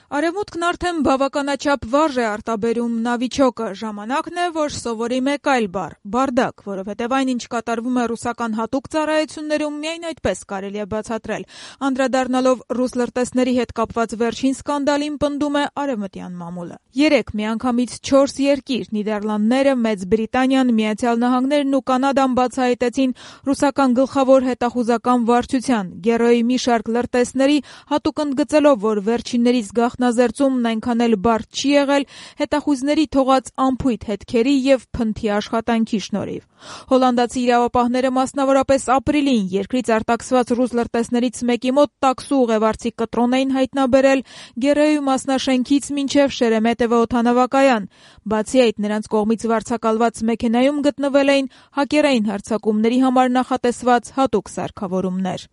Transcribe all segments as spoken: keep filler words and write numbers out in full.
Արևմուտքն արդեն բավականաչափ վարժ է արտաբերում նավիճոկը, ժամանակն է, որ սովորի մեկ այլ բառ՝ բարդակ, որովհետև այն, ինչ կատարվում է ռուսական հատուկ ծառայություններում, միայն այդպես կարելի է բացատրել։ Անդրադառնալով ռուս լրտեսների հետ կապված վերջին սկանդալին, պնդում է արևմտյան մամուլը։ Երեք միանգամից չորս երկիր՝ Նիդերլանդները, Մեծ Բրիտանիան, Միացյալ Նահանգներն ու Կանադան բացահայտեցին ռուսական գլխավոր հետախուզական վարչության՝ Գերոյի մի շարք լրտեսների, հատուկ ընդգծելով, որ վերջիններից գաղտնազերծումն այնքան էլ բարդ չի եղել հետախույզների թողած անփույթ հետքերի և փնթի աշխատանքի շնորհիվ։ Հոլանդացի իրավապահները մասնավորապես ապրիլին երկրից արտաքսված ռուս լրտեսներից մեկի մոտ տաքսու ուղևորցի կտրոն էին հայտնաբերել Գերոյի մասնաշենքից մինչև Շերեմետևո օդանավակայան։ Բացի այդ, նրանց կողմից վարձակալված մեքենայում գտնվել էին հակերային հարձակումների համար նախատեսված հատուկ սարքավորումներ։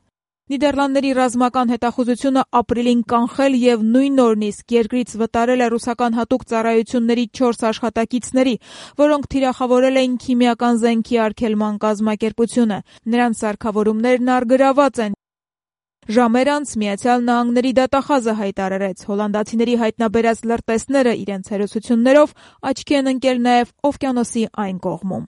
Նիդերլանդների ռազմական հետախուզությունը ապրիլին կանխել և նույն օրն իսկ երկրից վտարել է ռուսական հատուկ ծառայությունների չորս աշխատակիցների, որոնք թիրախավորել էին քիմիական զենքի արգելման կազմակերպությունը։ Նրանց սարքավորումներն առգրաված են։ Ժամեր անց Միացյալ Նահանգների դատախազը հայտարարեց՝ հոլանդացիների հայտնաբերած լրտեսները իրենց հերոսություններով աչքի են ընկել նաև օվկիանոսի այն կողմում։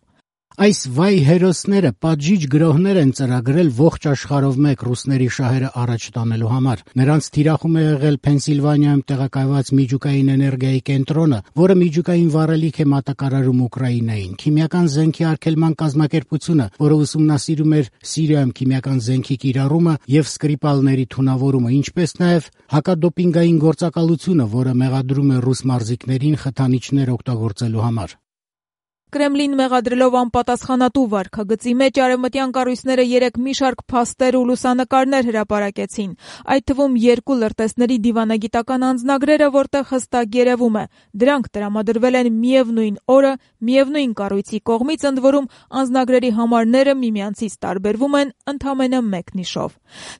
Այս վայ հերոսները պատժիչ գրոհներ են ծրագրել ողջ աշխարհով մեկ ռուսների շահերը առաջ տանելու համար։ Նրանց թիրախում է եղել Փենսիլվանիայում տեղակայված միջուկային էներգիայի կենտրոնը, որը միջուկային վառելիք է մատակարարում Ուկրաինային, քիմիական զենքի արգելման կազմակերպությունը, որը ուսումնասիրում էր Սիրիայում քիմիական զենքի կիրառումը և Սկրիպալների թունավորումը, ինչպես նաև հակադոպինգային գործակալությունը, որը մեղադրում է ռուս մարզիկներին խթանիչներ օգտագործելու համար։ Կրեմլին մեղադրելով անպատասխանատու վարքագծի մեջ արևմտյան կառույցները երեկ մի շարք փաստեր ու լուսանկարներ հրապարակեցին, այդ թվում երկու լրտեսների դիվանագիտական անձնագրերը, որտեղ հստակ երևում է, դրանք տրամադրվել են միևնույն օրը, միևնույն կառույցի կողմից, ընդ որում անձնագրերի համարները միմյանցից տարբերվում են ընդամենը մեկ նիշով։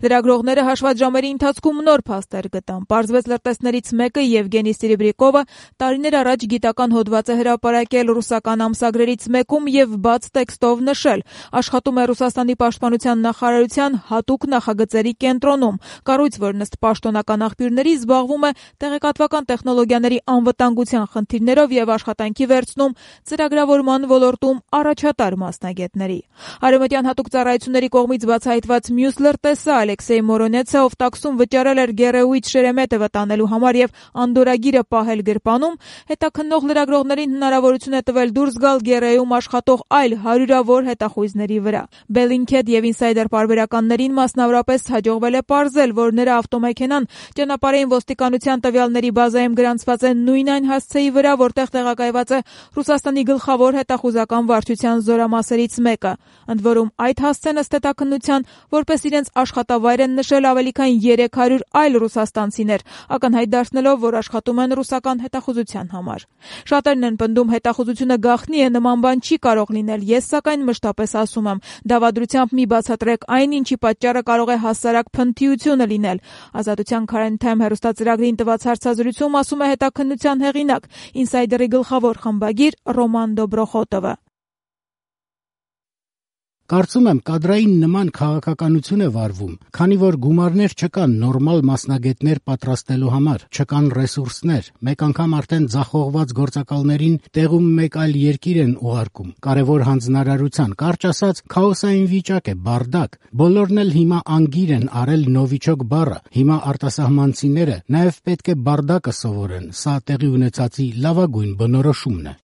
Լրագրողները հաշված ժամերի ընթացքում նոր փաստեր գտան։ Պարզվեց լրտեսներից մեկը՝ Եվգենի Սիրիբրիկովը, տարիներ առաջ գիտական հոդված է հրապարակել ռուսական ամսագրերից մեկում և բաց տեքստով նշել՝ աշխատում է Ռուսաստանի պաշտպանության նախարարության հատուկ նախագծերի կենտրոնում, կառույց, որն ըստ պաշտոնական աղբյուրների զբաղվում է տեղեկատվական տեխնոլոգիաների անվտանգության խնդիրներով և աշխատանքի վերցնում ծրագրավորման ոլորտում առաջատար մասնագետների։ Արևմտյան հատուկ ծառայությունների կողմից բացահայտված մյուս լրտեսը Ալեքսեյ Մորոնեցը, ով տաքսում վճարել էր Գերոյից Շերեմետևը տանելու համար և անդորրագիրը պահել գրպանում, հետաքննող լրագրողներին հնարավորություն է տվել դուրս գալ Գերոյում աշխատող այլ հարյուրավոր հետախույզների վրա։ Bellingcat և Insider պարբերականներին մասնավորապես հաջողվել է պարզել, որ նրա ավտոմեքենան ճանապարհային ոստիկանության տվյալների բազայում գրանցված է նույն այն հասցեի վրա, որտեղ տեղակայված է Ռուսաստանի գլխավոր հետախուզական վարչության զորամասերից մեկը։ Ընդ որում, այդ հասցեն ըստ հետաքննության որպես իրենց աշխատավայր են նշել ավելի քան երեք հարյուր այլ ռուսաստանցիներ, ակնհայտ դարձնելով, որ աշխատում են ռուսական հետախուզության համար։ Շատերն են պնդում, հետախուզությունը գաղտնի է, նման բան չի կարող լինել։ Ես սակայն մշտապես ասում եմ, դավադրությամբ մի բացատրեք այն, ինչի պատճառը կարող է հասարակ փնթիությունը լինել։ Ազատության Current Time հեռուստածրագրին տված հարցազրույցում ասում է հետաքննության հեղինակ, Insider-ի գլխավոր խմբագիր Ռոման Դոբրոխոտովը։ Կարծում եմ, կադրային նման քաղաքականություն է վարվում, քանի որ գումարներ չկան նորմալ մասնագետներ պատրաստելու համար, չկան ռեսուրսներ, մեկ անգամ արդեն ձախողված գործակալներին տեղում մեկ այլ երկիր են ուղարկում, կարևոր հանձնարարության, կարճ ասած, քաոսային վիճակ է, բարդակ, բոլորն էլ հիմա անգիր են արել նովիչոկ բառը, հիմա արտասահմանցիները նաև պետք է բարդակը սովորեն, սա տեղի ունեցածի լավագույն բնորոշումն է։